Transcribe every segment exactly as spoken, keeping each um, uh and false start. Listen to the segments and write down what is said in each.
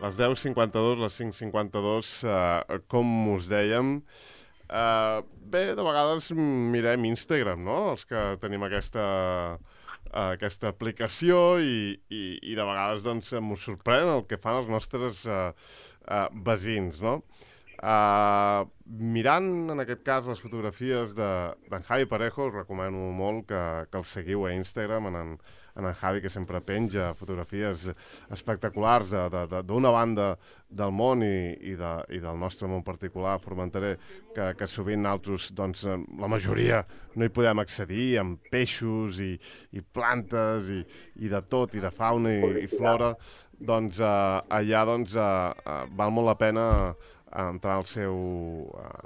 les deu cinquanta-dos, les cinc cinquanta-dos, uh, com us dèiem. Uh, bé, de vegades mirem Instagram, no?, els que tenim aquesta, uh, aquesta aplicació i, i, i de vegades doncs m'ho sorprèn el que fan els nostres uh, uh, veïns, no? Uh, mirant, en aquest cas, les fotografies d'en Javi Parejo, us recomano molt que, que el seguiu a Instagram, en, en, en en Javi, que sempre penja fotografies espectaculars d'una banda del món i, i, de, i del nostre món particular, formenterer, que, que sovint nosaltres, doncs, la majoria no hi podem accedir, amb peixos i, i plantes i, i de tot, i de fauna i, i flora, doncs uh, allà doncs, uh, uh, val molt la pena entrar al seu,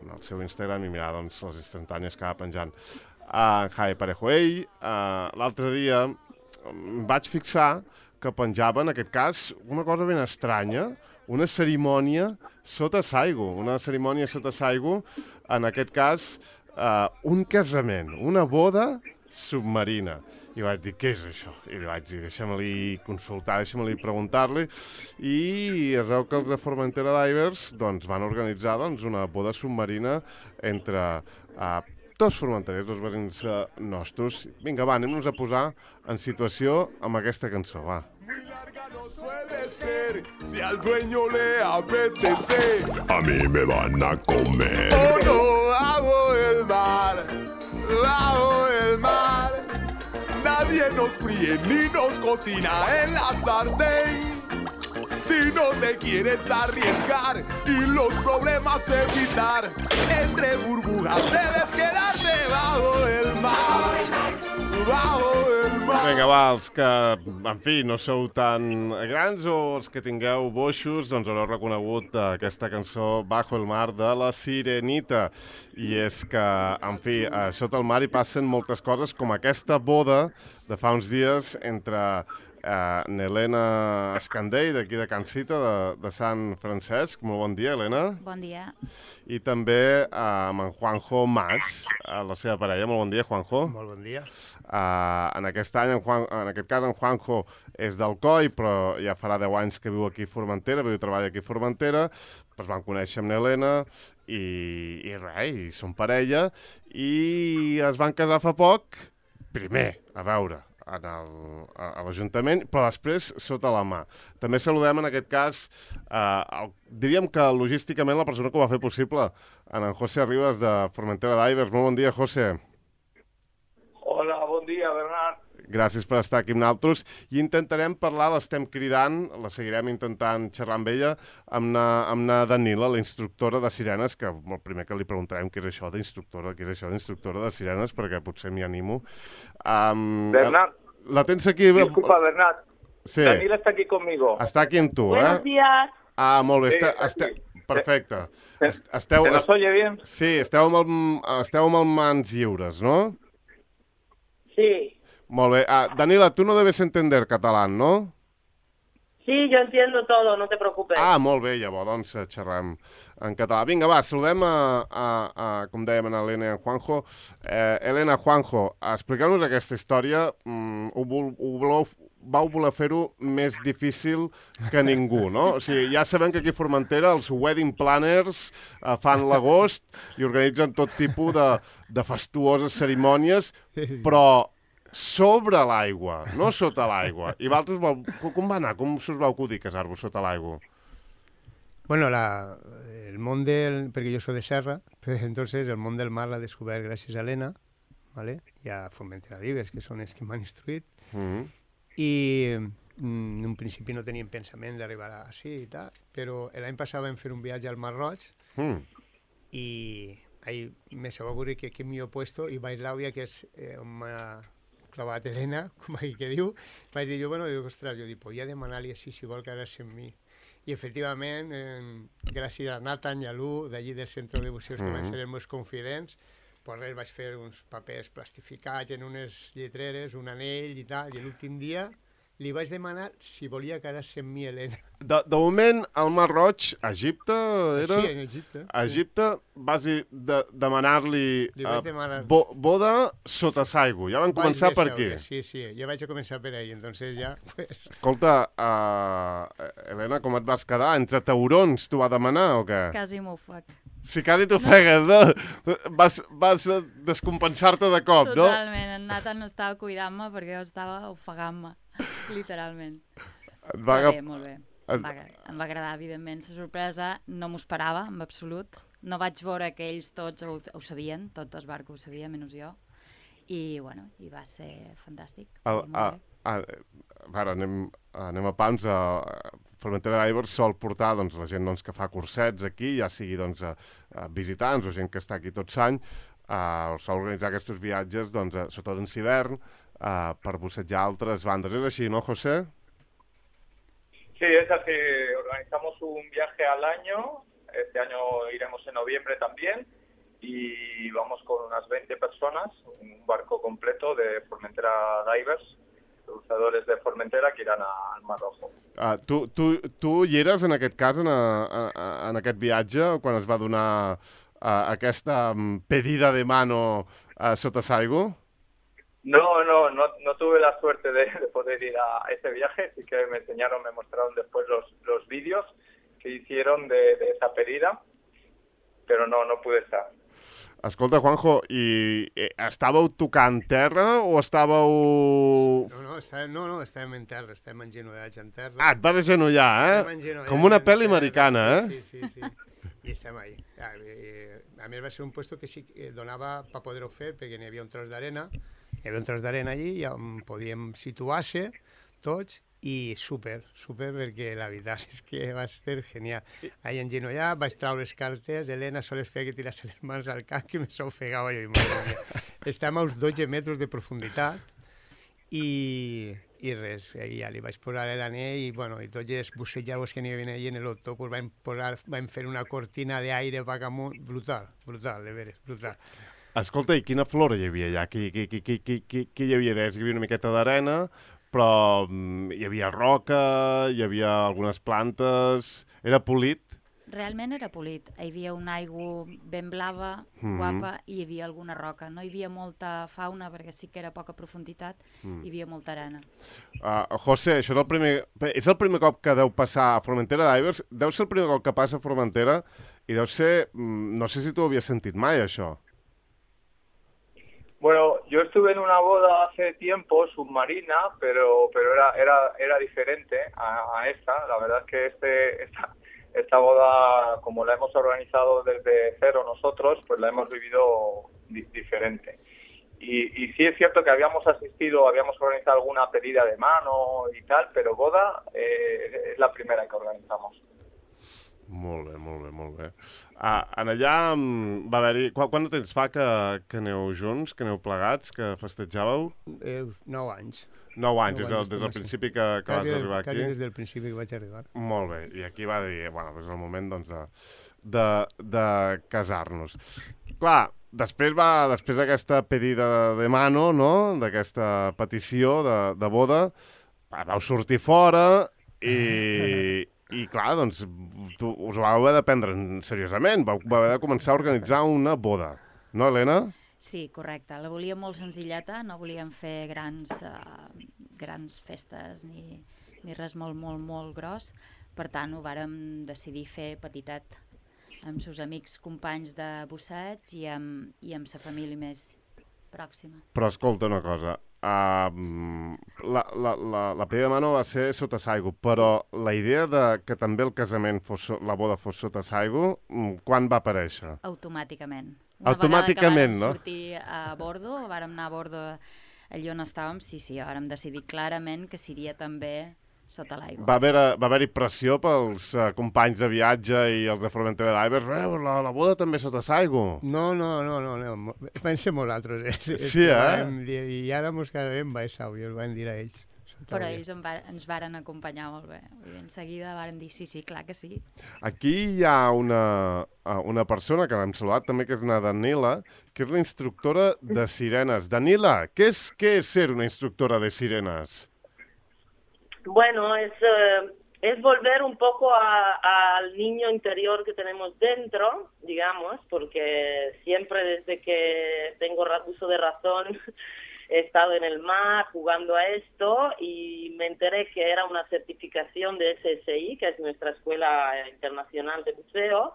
en el seu Instagram i mirar doncs, les instantànies que va penjant uh, Javi Parejo. Ell, uh, l'altre dia, em vaig fixar que penjava, en aquest cas, una cosa ben estranya, una cerimònia sota s'aigua, una cerimònia sota s'aigua, en aquest cas, uh, un casament, una boda submarina. I vaig dir, què és això? I li vaig dir, deixa'm-li consultar, deixa'm-li preguntar-li. I es veu que els de Formentera Divers doncs, van organitzar doncs, una boda submarina entre uh, dos formenterers, dos veïns uh, nostres. Vinga, va, anem-nos a posar en situació amb aquesta cançó, va. Suele ser, si al dueño le apetece, A mí me van a comer. oh no, bajo el mar, bajo el mar. Nadie nos fríe ni nos cocina en la sartén. Si no te quieres arriesgar y los problemas evitar, entre burbujas debes quedarte bajo el mar, bajo el mar. Vinga, va, els que, en fi, no sou tan grans o els que tingueu boixos, doncs haureu reconegut aquesta cançó Bajo el mar de la Sirenita. I és que, en fi, a sota el mar hi passen moltes coses, com aquesta boda de fa uns dies entre uh, n'Helena Escandell, d'aquí de Can Cita, de, de Sant Francesc. Molt bon dia, Helena. Bon dia. I també uh, amb en Juanjo Mas, uh, la seva parella. Molt bon dia, Juanjo. Molt bon dia. Uh, en aquest any, en, Juan, en aquest cas, en Juanjo és d'Alcoi, però ja farà deu anys que viu aquí a Formentera, viu i treballa aquí a Formentera. Es van conèixer amb n'Helena i, i res, i són parella, i es van casar fa poc, primer, a veure, en el, a, a l'Ajuntament, però després sota la mà. També saludem en aquest cas, eh, el, diríem que logísticament la persona que ho va fer possible, en en José Ribas de Formentera Divers. Molt bon dia, José. Hola, bon dia, Bernat. Gràcies per estar aquí amb nosaltres. I intentarem parlar, l'estem cridant, la seguirem intentant xerrar amb ella, amb na, amb na Danila, la instructora de sirenes, que el primer que li preguntarem què és això d'instructora, què és això d'instructora de sirenes, perquè potser m'hi animo. Um, Bernat. La tens aquí... Disculpa, Bernat. Sí. Danila está aquí conmigo. Està aquí amb tu, Buenos eh? días. Ah, molt bé. Sí, Este, aquí. este, perfecte. ¿Se, Esteu, ¿Se nos oye bien? sí, esteu amb, el, esteu amb el mans lliures, no? Sí. Molt bé. Ah, Danila, tú no debes entender catalán, ¿no? Sí, yo entiendo todo, no te preocupes. Ah, molt bé, llavors, doncs xerrem en català. Vinga, va, saludem a, a, a com dèiem, a Helena i a Juanjo. Eh, Helena, Juanjo, expliqueu-nos aquesta història. Mm, ho, vol, ho voleu, vau voler fer-ho més difícil que ningú, no? O sigui, ja sabem que aquí a Formentera els wedding planners eh, fan l'agost i organitzen tot tipus de, de fastuoses cerimònies, però sobre l'aigua, no sota l'aigua. I vosaltres, com va anar? Com s'us va acudir casar-vos sota l'aigua? Bueno, la, el món del... Perquè jo soy de Serra, però entonces el món del mar l'ha descobert gràcies a Helena, ¿vale? I a Formentera Divers, que són els que m'han instruït. Mm-hmm. I mm, en un principi no teníem pensament d'arribar així i tal, però l'any passat vam fer un viatge al Mar Roig Mm. i ahí me se va ocurrir que qué millor puesto, i Vaislavia, que és eh, on m'ha clavat Helena, com aquí que diu, vaig dir jo, bueno, dic, ostres, jo dic, podia demanar-li així si vol quedar-se amb mi. I efectivament, eh, gràcies a Nathan i a Lu, d'allí del centre de buceus, que van ser els meus confidents, pues res, vaig fer uns papers plastificats en unes lletreres, un anell i tal, i l'últim dia li vaig demanar si volia quedar-se amb mi Helena. De, de moment, al Mar Roig, a Egipte, era... Sí, en Egipte. A Egipte vas de, demanar-li Li vaig demanar... bo, boda sota Saigo. Ja van començar per aquí. Sí, sí, ja vaig a començar per ahí, entonces ja... Pues... Escolta, uh, Helena, com et vas quedar? Entre taurons t'ho va demanar o què? Quasi m'ofec. Si quasi t'ofegues, no? Vas, vas descompensar-te de cop, no? Totalment, en Nathan no estava cuidant-me perquè jo estava ofegant-me, literalment. Et va Però agaf... bé, molt bé. Em va, em va agradar, evidentment, la sorpresa. No m'ho esperava, en absolut. No vaig veure que ells tots ho, ho sabien, tot el barco ho sabia, menys jo. I, bueno, i va ser fantàstic. El, a, a, ara anem, anem a pams. A Formentera d'Ivers sol portar doncs, la gent doncs, que fa cursets aquí, ja sigui doncs, a, a visitants o gent que està aquí tot l'any, uh, sol organitzar aquests viatges, doncs, a, sobretot en hivern, uh, per bussejar altres bandes. És així, no, José? Sí, es así. Organizamos un viaje al año. Este año iremos en noviembre también. Y vamos con unas veinte personas, un barco completo de Formentera Divers, cruceadores de Formentera que irán a, al Mar Rojo. Uh, tu, tu, tu hi eres, en aquest cas, en, a, a, en aquest viatge, quan es va donar uh, aquesta um, pedida de mano uh, sota Saigo? No, no, no, no tuve la suerte de, de poder ir a ese viaje, sí que me enseñaron, me mostraron después los, los vídeos que hicieron de, de esa pedida, pero no, no pude estar. Escolta, Juanjo, i eh, estàveu tocant terra o estàveu... No, no, estàvem, no, no, estàvem en terra, estàvem engenollats en terra. Ah, et vas agenollar, eh? Com una pel·li americana, eh? Sí, sí, sí, sí. I estem ahí. A, a més va ser un puesto que sí que donava per poder-ho fer, perquè n'hi havia un tros d'arena, hi havia un tros d'arena allí i on podíem situar-se tots i súper, súper, perquè la veritat és que va ser genial. Ahí engenollar, vaig treure les cartes, Helena sols feia que tirase les mans al cap, que me s'ofegava jo. Estàvem a uns dotze metres de profunditat i, i res, i ja li vaig posar l'anell i, bueno, i tots els bussejadors que n'hi havia allà en l'auto pues vam, posar, vam fer una cortina d'aire vagamunt, brutal, brutal, de veres, brutal. Escolta, i quina flora hi havia allà? Què, què, què, què, què, què hi havia? Deies que hi havia una miqueta d'arena, però um, hi havia roca, hi havia algunes plantes... Era polit? Realment era polit. Hi havia una aigua ben blava, mm-hmm. guapa, i hi havia alguna roca. No hi havia molta fauna, perquè sí que era poca profunditat, mm. hi havia molta arena. Uh, José, això és el, primer, és el primer cop que deu passar a Formentera d'Ivers? Deu ser el primer cop que passa a Formentera i deu ser... No sé si tu ho havies sentit mai, això. Bueno, yo estuve en una boda hace tiempo, submarina, pero pero era era era diferente a, a esta. La verdad es que este esta, esta boda, como la hemos organizado desde cero nosotros, pues la hemos vivido di diferente. Y, y sí es cierto que habíamos asistido, habíamos organizado alguna pedida de mano y tal, pero boda eh, es la primera que organizamos. Molt bé, molt bé, molt bé. Ah, en allà va haver-hi... Quant, quant de temps fa que, que aneu junts, que aneu plegats, que festejàveu? Eh, nou anys. Nou anys, des del, des del principi que, que vas arribar aquí? Quasi des del principi que vaig arribar. Molt bé, i aquí va dir, bueno, és el moment doncs, de, de, de casar-nos. Clar, després va, després d'aquesta pedida de mano, no?, d'aquesta petició de, de boda, vau sortir fora i... I, clar, doncs, tu, us ho vau haver de prendre seriosament, vau haver de començar a organitzar una boda. No, Helena? Sí, correcte. La volíem molt senzilleta, no volíem fer grans, uh, grans festes ni, ni res molt, molt, molt gros. Per tant, ho vàrem decidir fer petitet, amb seus amics, companys de busseig i amb, i amb sa família més pròxima. Però escolta una cosa, uh, la, la, la, la pedida de mano va ser sota Saigo, però sí. La idea de que també el casament fos, la boda fos sota Saigo, quan va aparèixer? Automàticament. Una Automàticament, vegada que vàrem no? sortir a bordo, vàrem anar a bordo allà on estàvem, sí, sí, vàrem decidir clarament que seria també sota l'aigua. Va haver-hi haver pressió pels uh, companys de viatge i els de Formentera d'Ivers? La, la boda també sota Saigo? No, no, no, no, no. Vam ser nosaltres. Eh? Sí, eh? Dir, I ara mos quedem baixau, i els vam dir a ells. Però ells en va, ens varen acompanyar molt bé. I en seguida varen dir sí, sí, clar que sí. Aquí hi ha una, una persona que l'hem saludat també, que és una Danila, que és la instructora de sirenes. Danila, què és, què és ser una instructora de sirenes? Bueno, es, eh, es volver un poco a- al niño interior que tenemos dentro, digamos, porque siempre desde que tengo ra- uso de razón he estado en el mar jugando a esto y me enteré que era una certificación de S S I, que es nuestra Escuela Internacional de Buceo,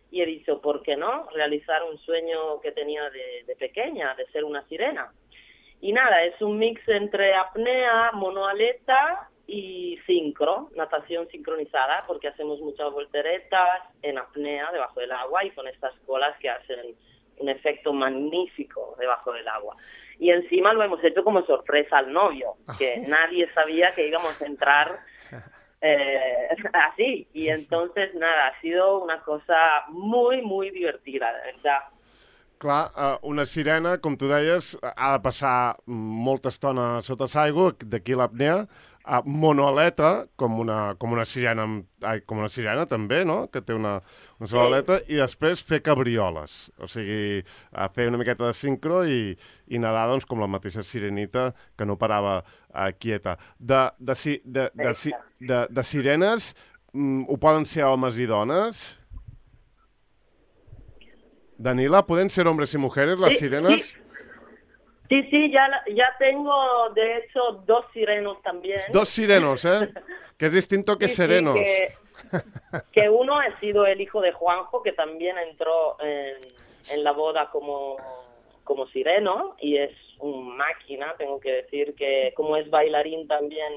y he dicho, ¿por qué no? Realizar un sueño que tenía de, de pequeña, de ser una sirena. Y nada, es un mix entre apnea, monoaleta y sincro, natación sincronizada, porque hacemos muchas volteretas en apnea debajo del agua y con estas colas que hacen un efecto magnífico debajo del agua. Y encima lo hemos hecho como sorpresa al novio, que nadie sabía que íbamos a entrar eh, así. Y entonces, nada, ha sido una cosa muy, muy divertida, de verdad. Clar, eh, una sirena, com tu deies, ha de passar molta estona sota l'aigua, d'aquí l'apnea, uh, monoaleta, com una, com una sirena, ai, com una sirena també, no?, que té una, una sola aleta, i després fer cabrioles, o sigui, uh, fer una miqueta de sincro i, i nedar, doncs, com la mateixa sirenita, que no parava uh, quieta. De, de, de, de, de, de, de sirenes, mm, ho poden ser homes i dones? Danila, ¿pueden ser hombres y mujeres las Sí, sirenas? Sí, sí, sí, ya, la- ya tengo, de hecho, dos sirenos también. Dos sirenos, ¿eh? Que es distinto que Sí, sí, serenos. que, que uno ha sido el hijo de Juanjo, que también entró en, en la boda como, como sireno, y es un máquina, tengo que decir que como es bailarín también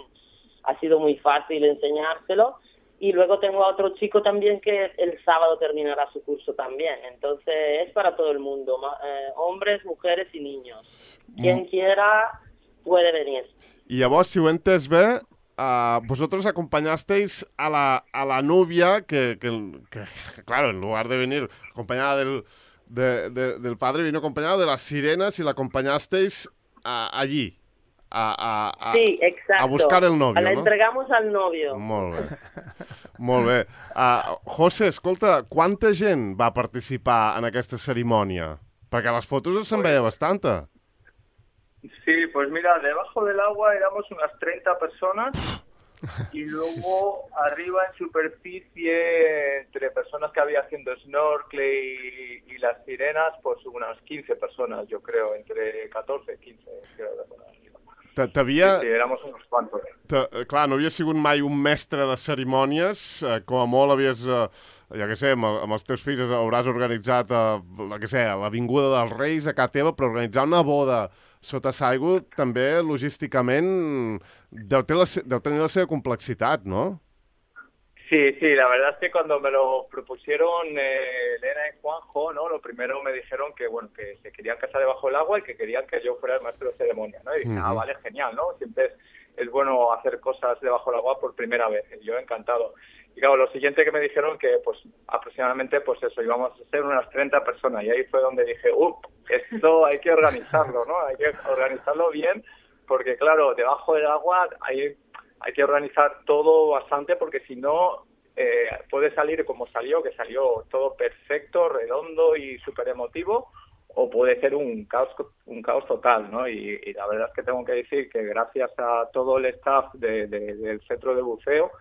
ha sido muy fácil enseñárselo. Y luego tengo a otro chico también que el sábado terminará su curso también. Entonces es para todo el mundo, ma- eh, hombres, mujeres y niños. Quien quiera puede venir. Y llavors, si ho he entès bé, uh, vosotros acompañasteis a la, a la novia que, que, que, que, claro, en lugar de venir acompañada del, de, de, del padre, vino acompañado de las sirenas y la acompañasteis uh, allí. A, a, a, Sí, exacto. a buscar el novio, La no? entregamos al novio. Molt bé. Molt bé. Uh, José, escolta, quanta gent va participar en aquesta cerimònia? Perquè a les fotos se'n veia bastanta. Sí, pues mira, debajo del agua éramos unas treinta personas y luego arriba en superficie, entre personas que había haciendo snorkel y, y las sirenas, pues unas quince personas, yo creo, entre catorze y quince, creo que por ahí. T'havia... Sí, sí, éramos unos cuantos. Clar, no havia sigut mai un mestre de cerimònies, eh, com a molt havies, eh, ja què sé, amb, amb els teus fills hauràs organitzat, eh, la, què sé, l'Avinguda dels Reis a casa teva, però organitzar una boda sota l'aigua també logísticament deu, ter la, deu tenir la seva complexitat, no? Sí, sí, la verdad es que cuando me lo propusieron eh, Elena y Juanjo, ¿no? Lo primero me dijeron que, bueno, que se querían casar debajo del agua y que querían que yo fuera el maestro de ceremonia, ¿no? Y dije, Uh-huh. ah, vale, genial, ¿no? Siempre es, es bueno hacer cosas debajo del agua por primera vez, y yo encantado. Y claro, lo siguiente que me dijeron que, pues, aproximadamente, pues eso, íbamos a ser unas treinta personas, y ahí fue donde dije, uff, esto hay que organizarlo, ¿no? Hay que organizarlo bien, porque claro, debajo del agua hay... hay que organizar todo bastante porque si no eh, puede salir como salió, que salió todo perfecto, redondo y súper emotivo, o puede ser un caos un caos total, ¿no? Y, y la verdad es que tengo que decir que gracias a todo el staff de, de, del centro de buceo,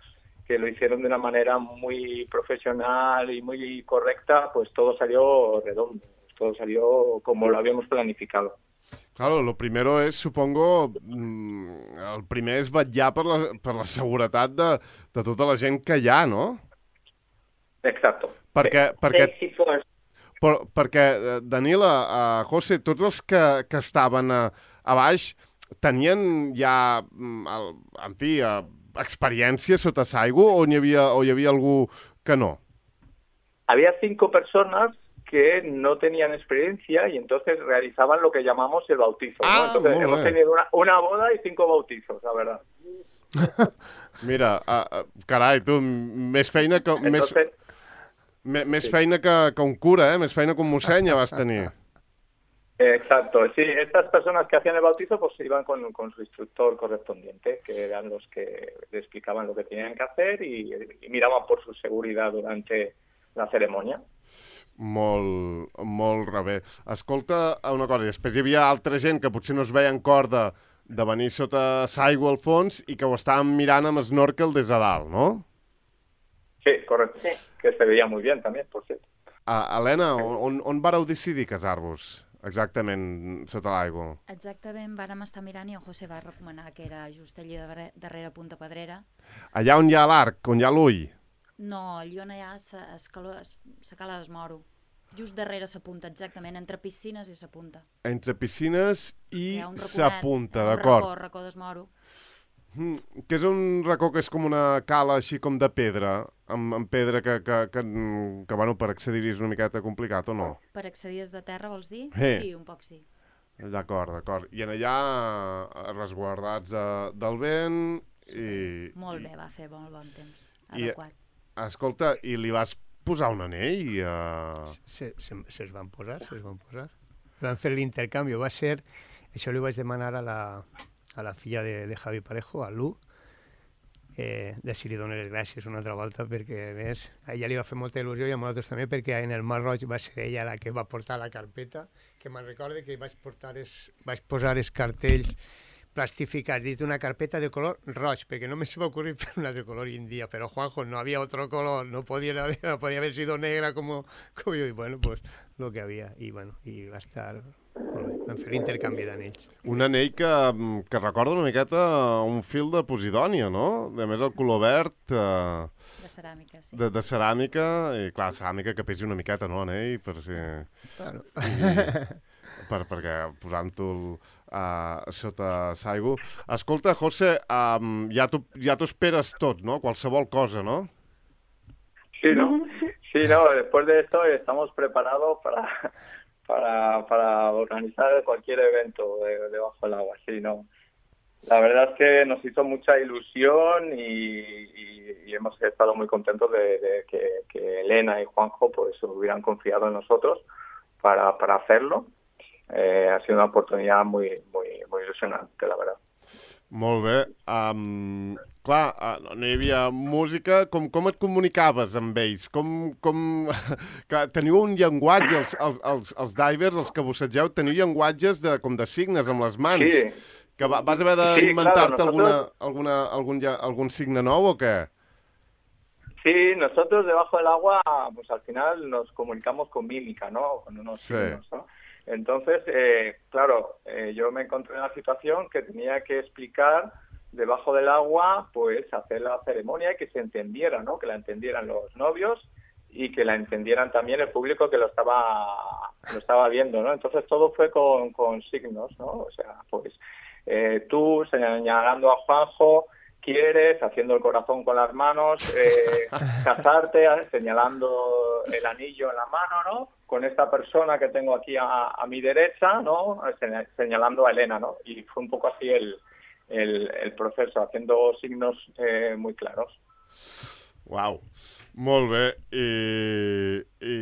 que lo hicieron de una manera muy profesional y muy correcta, pues todo salió redondo, todo salió como lo habíamos planificado. Claro, lo primero és, supongo, mm, el primer és vetllar per la, per la seguretat de, de tota la gent que hi ha, no? Exacto. Perquè, perquè, Safety first. per, perquè eh, Danila, uh, José, tots els que, que estaven a, a baix tenien ja, mm, el, en fi, uh, experiència sota l'aigua o hi havia, o hi havia algú que no? Había cinco personas que no tenían experiencia y entonces realizaban lo que llamamos el bautizo, ¿no? Ah, Entonces muy hemos bien. tenido una, una boda y cinco bautizos, la verdad. Mira, uh, uh, carai, tu, més feina que... Entonces, més, més sí. feina que, que un cura, eh? Més feina que un mossèn ja vas tenir. exacto, sí, estas personas que hacían el bautizo pues iban con, con su instructor correspondiente, que eran los que le explicaban lo que tenían que hacer y, y miraban por su seguridad durante la ceremonia. Molt, molt rebé. Escolta una cosa, després hi havia altra gent que potser no es veia en corda de venir sota l'aigua al fons i que ho estàvem mirant amb snorkel des de dalt, no? Sí, correcto. Sí. Que se veía muy bien también, por cierto. Uh, Helena, on, on vareu decidir casar-vos exactament sota l'aigua? Exactament, vàrem estar mirant i en José va recomanar que era just allí darrere, darrere Punta Pedrera. Allà on hi ha l'arc, on hi ha l'ull? No, allí on hi ha la cala d'Esmoro. Just darrere sa punta, exactament, entre piscines i sa punta. Entre piscines i sa punta, d'acord. d'acord. Un racó, racó d'Esmoro. Mm, que és un racó que és com una cala així com de pedra, amb, amb pedra que, que, que, que bueno, per accedir-hi és una miqueta complicat, o no? Per accedir des de terra, vols dir? Hey. Sí, un poc sí. D'acord, d'acord. I en allà resguardats de, del vent sí, i... Molt bé, va fer molt bon temps. I, adequat. Escolta, i li vas posar un anell? Uh... Se'ls se, se van posar, se'ls van posar. Van fer l'intercanvi, va ser... Això li vaig demanar a la, a la filla de, de Javi Parejo, a Lu, eh, de si li dono les gràcies una altra volta, perquè a més a ella li va fer molta il·lusió i a nosaltres també, perquè en el Mar Roig va ser ella la que va portar la carpeta, que me'n recorde que vaig, portar es, vaig posar els cartells plastificats dins d'una carpeta de color roig, perquè no me se va ocurrir fer una de color india, pero Juanjo, no había otro color, no podía, no podía haber sido negra como, como yo, y bueno, pues lo que había, y bueno, i va estar molt bé, vam fer l'intercanvi d'anells. Un anell que, que recorda una miqueta un fil de Posidònia, no? A més, el color verd... Eh, de ceràmica, sí. De, de ceràmica, i clar, ceràmica que pesi una miqueta, no, anell? Per si... Claro. I, per, perquè posant-ho uh, sota l'aigua... Escolta, José, um, ja t'ho ja esperes tot, no? Qualsevol cosa, no? Sí, ¿no? Sí, no, después de esto estamos preparados para... Para, para organizar cualquier evento de, debajo del agua, sí, ¿no? La verdad es que nos hizo mucha ilusión y, y, y hemos estado muy contentos de, de que, que Elena y Juanjo pues hubieran confiado en nosotros para, para hacerlo. Eh, ha sido una oportunidad muy, muy, muy ilusionante, la verdad. Molt bé. Um, clar, uh, no hi havia música. Com, com et comunicaves amb ells? Com, com... Clar, teniu un llenguatge, els, els, els, els divers, els que bussegeu, teniu llenguatges de, com de signes amb les mans. Sí. Que va, vas haver d'inventar-te sí, claro, alguna, alguna, algun, algun signe nou o què? Sí, nosotros debajo del agua, pues al final nos comunicamos con mímica, ¿no? Con unos sí. signos, ¿no? Entonces, eh, claro, eh, yo me encontré en la situación que tenía que explicar debajo del agua, pues hacer la ceremonia y que se entendiera, ¿no? Que la entendieran los novios y que la entendieran también el público que lo estaba lo estaba viendo, ¿no? Entonces todo fue con, con signos, ¿no? O sea, pues eh, tú señalando a Juanjo, quieres, haciendo el corazón con las manos, eh, casarte, señalando el anillo en la mano, ¿no? Con esta persona que tengo aquí a, a mi derecha, ¿no? Señalando a Elena, ¿no? Y fue un poco así el, el, el proceso, haciendo signos eh, muy claros. Uau, molt bé. I, i,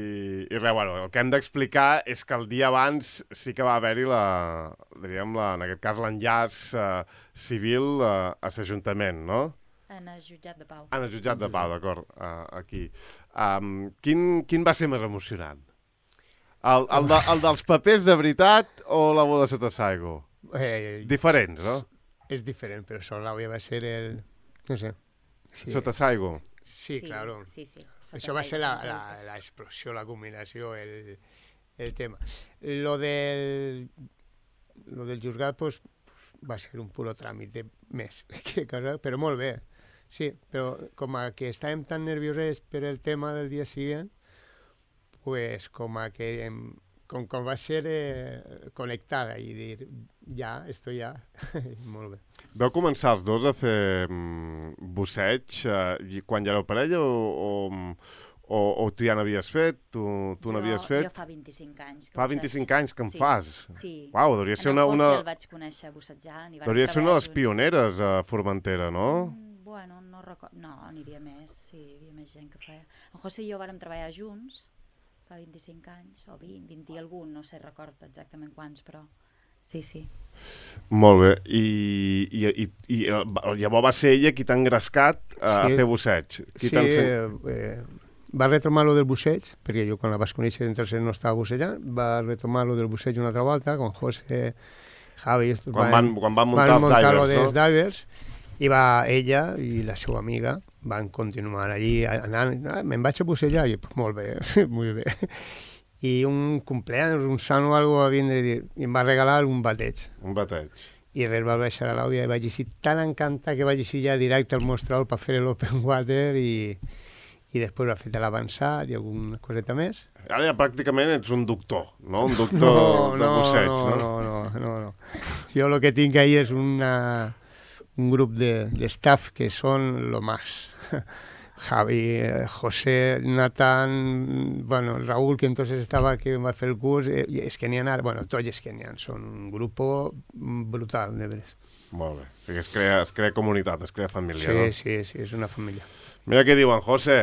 i res, bueno, el que hem d'explicar és que el dia abans sí que va haver-hi la, diríem, la, en aquest cas, l'enllaç eh, civil eh, a l'Ajuntament, no? En el jutjat de Pau. En el jutjat de Pau, d'acord, uh, aquí. Um, quin, quin va ser més emocionant? El, el, de, el dels papers de veritat o la boda sota l'aigua? Eh, Diferents, no? És diferent, però sota l'aigua va ser el... no sé. Sí. Sota l'aigua? Sí, sí, claro. Sí, sí. Això va ser la, la, la explosió, la combinació, el, el tema. Lo del, lo del juzgat, pues, va ser un puro tràmite més, que cosa, però molt bé. Sí, però com a que estàvem tan nerviosets per el tema del dia següent, pues com a que com, com va ser eh, connectada i dir, ja, esto ja, molt bé. Vau començar els dos a fer mm, busseig eh, quan ja éreu parella o, o, o, o tu ja n'havies fet? Tu, tu n'havies fet? Jo fa vint-i-cinc anys. Fa vint-i-cinc anys que en sí, fas? Sí. Uau, hauria ser una... En el una... el vaig conèixer bussejant. Hauria ser una de les pioneres a Formentera, no? Mm, bueno, no recordo... No, n'hi havia més, sí, hi havia més gent que feia. En José i jo vàrem treballar junts, fa vint-i-cinc anys, o vint, vint i algun, no sé, recordo exactament quants, però sí, sí. Molt bé. I, i, i, i llavors va ser ella qui t'ha engrescat a sí. fer busseig. Qui sí, eh, eh, va retomar lo del busseig, perquè jo quan la vas conèixer entonces no estava bussejant, va retomar lo del busseig una altra volta, con José, Javi, quan van, quan van muntar van els muntar divers, dels no? divers, i va ella i la seva amiga van continuar allí anant, ah, me'n vaig a bussejar, i pues, molt bé, molt bé. I un cumpleaños, un sant o alguna cosa, vindre, i em va regalar un bateig. Un bateig. I res, va baixar a l'àudia i vaig així tan encantat que vaig així ja directe al mostrador per fer l'open water i, i després va fer l'avançat i alguna coseta més. Ara ja pràcticament ets un doctor, no? Un doctor no, de no, busseig, no? No, no, no, no. Jo el que tinc ahí és una, un grup de, de staff que són lo más. Javi, José, Natán, bueno, Raúl, que entonces estaba, que va a hacer el curso, eh, es que n'hi ha, bueno, tots és que n'hi ha, són un grup brutal, de veres. Molt bé, o sigui, es crea, es crea comunitat, es crea família, sí, no? Sí, sí, és una família. Mira què diuen, José,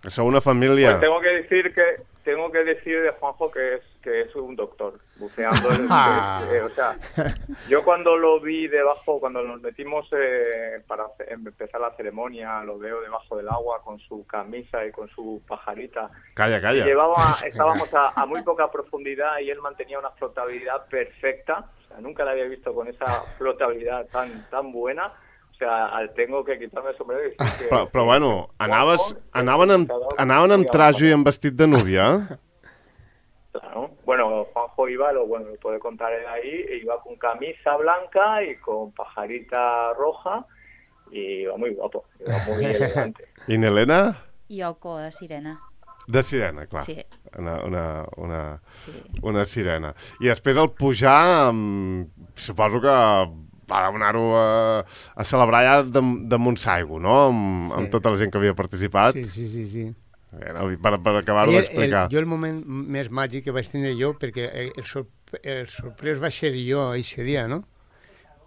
que sou una família. Pues tengo que decir que tengo que decir de Juanjo que es que es un doctor buceando. En el, eh, o sea, yo cuando lo vi debajo, cuando nos metimos eh, para hacer, empezar la ceremonia, lo veo debajo del agua con su camisa y con su pajarita. Calla, calla. Llevaba, estábamos a, a muy poca profundidad y él mantenía una flotabilidad perfecta. O sea, nunca la había visto con esa flotabilidad tan tan buena. O sea, tengo que quitarme el sombrero y decir que... Però, però bueno, anaves, anaven, amb, anaven amb trajo i amb vestit de núvia? Claro. Bueno, Juanjo iba, lo bueno, lo puede contar él ahí, iba con camisa blanca y con pajarita roja y iba muy guapo, iba muy elegante. I n'Helena? Yoko, de sirena. De sirena, clar. Sí. Una, una, una, sí. una sirena. I després al pujar, um, suposo que va anar-ho a, a celebrar ja de, de Montsaigo, no? Amb, sí. amb tota la gent que havia participat. Sí, sí, sí, sí. Per, per acabar-ho d'explicar. Jo el moment més màgic que vaig tenir jo, perquè el, sor el sorprès va ser jo aquest dia, no?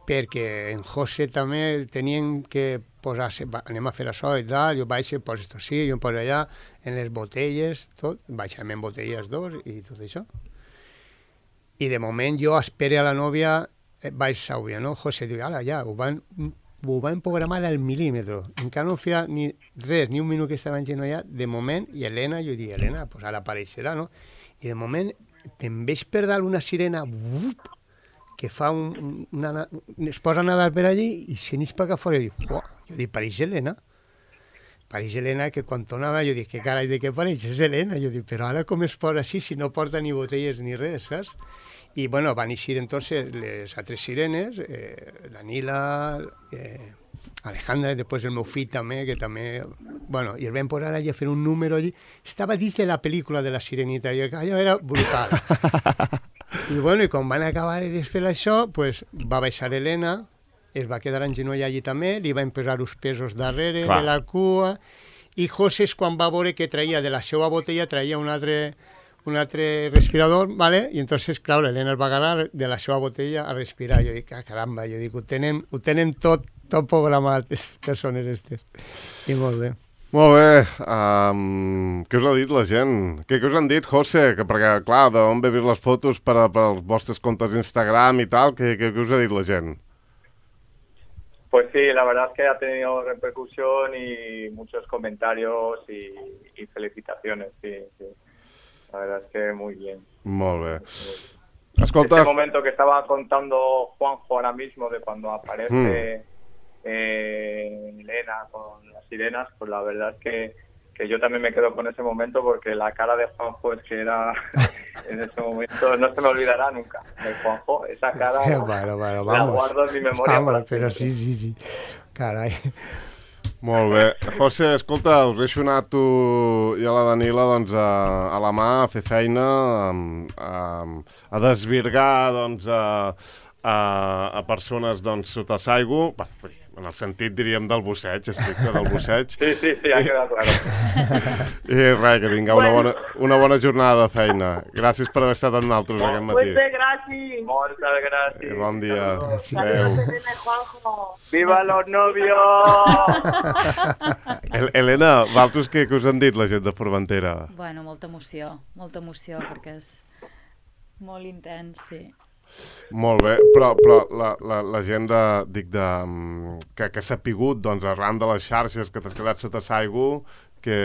Perquè en José també tenien que posar-se, anem a fer això i tal, jo vaig, posa esto sí, jo em poso allà, en les botelles, tot, vaig amb botelles dos i tot això. I de moment jo espero a la nòvia, vaig àudia, no? José diu, ala, ja, ho van... ho van programar al milímetre. Encara no feia ni res, ni un minut que estava engenollat, de moment, i Helena, jo dic, Helena, pues ara apareixerà, no? I de moment em veig per dalt una sirena vup, que fa un, una, es posa a nedar per allí i se n'és per acá fora. Jo dic, uah, jo dic, pareix Helena. Pareix Helena, que quan tornava jo dic, què carai de què pareix? És Helena. Jo dic, però ara com es posa així si no porta ni botelles ni res, saps? Y bueno, van a ir entonces les altres sirenes, eh, Danila, eh, Alejandra, després el meu fill també, que també... Bueno, i el vam posar allà a fer un número allí. Estava dins de la pel·lícula de la Sirenita, i allò era brutal. I bueno, i quan van acabar de fer això, pues, va baixar Helena, es va quedar en genoll allí també, li van posar els pesos darrere Clar. de la cua, i José, quan va veure que traia de la seva botella, traia un altre... un altre respirador, ¿vale? I entonces, clar, l'Helena es va agarrar de la seva botella a respirar. Jo dic, ah, caramba, jo dic, ho tenen, ho tenen tot, tot programat, les persones estes. I molt bé. Molt bé. Um, què us ha dit la gent? Què, què us han dit, José? Que perquè, clar, d'on he vist les fotos per, a, per als vostres comptes d'Instagram i tal, què, què, què us ha dit la gent? Pues sí, la verdad es que ha tenido repercusión y muchos comentarios y, y felicitaciones, sí, sí. La verdad es que muy bien. Molt bé. Escolta... Este momento que estaba contando Juanjo ahora mismo de cuando aparece mm. eh, Elena con las sirenas, pues la verdad es que, que yo también me quedo con ese momento porque la cara de Juanjo es que era en ese momento, no se me olvidará nunca de Juanjo, esa cara sí, bueno, bueno, la guardo en mi memoria. Vamos, però sí, sí, sí. Carai. Molt bé. José, escolta, us deixo anar tu i a la Danila doncs, a, a la mà a fer feina, a, a, a desvirgar doncs, a, a, a persones doncs, sota l'aigua, en el sentit, diríem, del busseig, estricte del busseig. Sí, sí, sí, ha quedat clar. I res, que tingueu una bona, una bona jornada de feina. Gràcies per haver estat amb nosaltres aquest matí. Muchas gracias. Moltes gràcies. I bon dia. Adéu. Viva los novios! Helena, vosaltres què, què us han dit la gent de Formentera? Bueno, molta emoció, molta emoció, perquè és molt intens, sí. Molt bé, però, però la, la, la gent de, dic de, que, que s'ha pigut doncs, arran de les xarxes que t'has quedat sota l'aigua, què,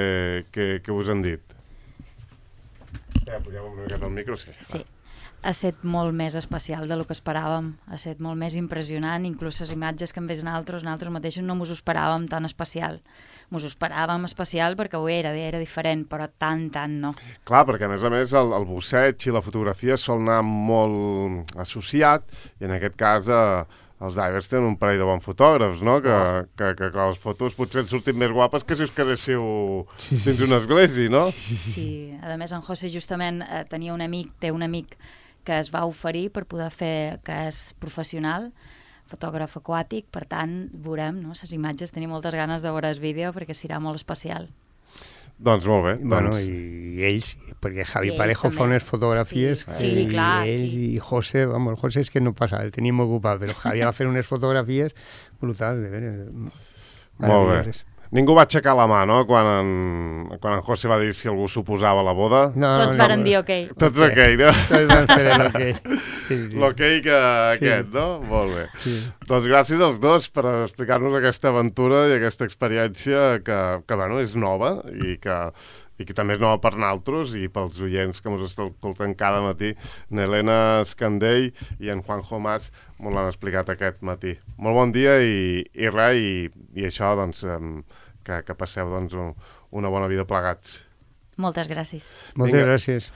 què, què us han dit? Ja, pugem una miqueta al micro, sí. Sí. ha estat molt més especial del que esperàvem, ha estat molt més impressionant, inclús les imatges que hem vist nosaltres, nosaltres mateixos no mos ho esperàvem tan especial. Mos ho esperàvem especial perquè ho era, era diferent, però tant, tant no. Clar, perquè a més a més el, el busseig i la fotografia sol anar molt associat, i en aquest cas eh, els divers tenen un parell de bons fotògrafs, no? Que, que, que, que les fotos potser han sortit més guapes que si us quedéssiu dins una església, no? Sí, a més en José justament eh, tenia un amic, té un amic que es va oferir per poder fer, que és professional, fotògraf aquàtic, per tant, veurem, no? Les imatges, tenim moltes ganes de veure el vídeo perquè serà molt especial. Doncs molt bé. Bueno, doncs... i ells, perquè Javi I ells Parejo també. fa unes fotografies, Sí, sí, i clar, ells sí. i José, vamos, José és que no passa, el tenim ocupat, però Javi va fer unes fotografies brutals, de veres. Molt bé. Ningú va aixecar la mà, no?, quan en, quan en José va dir si algú s'oposava a la boda. No, Tots no, varen no. dir ok. Tots ok, no? Tots van fer l'ok. Sí, sí. L'ok que Sí. aquest, no? Molt bé. Sí. Doncs gràcies als dos per explicar-nos aquesta aventura i aquesta experiència que, que bueno, és nova i que, i que també és nova per nosaltres i pels oients que ens escolten cada matí. N'Helena Escandell i en Juanjo Mas m'ho l'han explicat aquest matí. Molt bon dia i, i res, i, i això, doncs, que, que passeu doncs, una bona vida plegats. Moltes gràcies. Moltes Vinga. gràcies.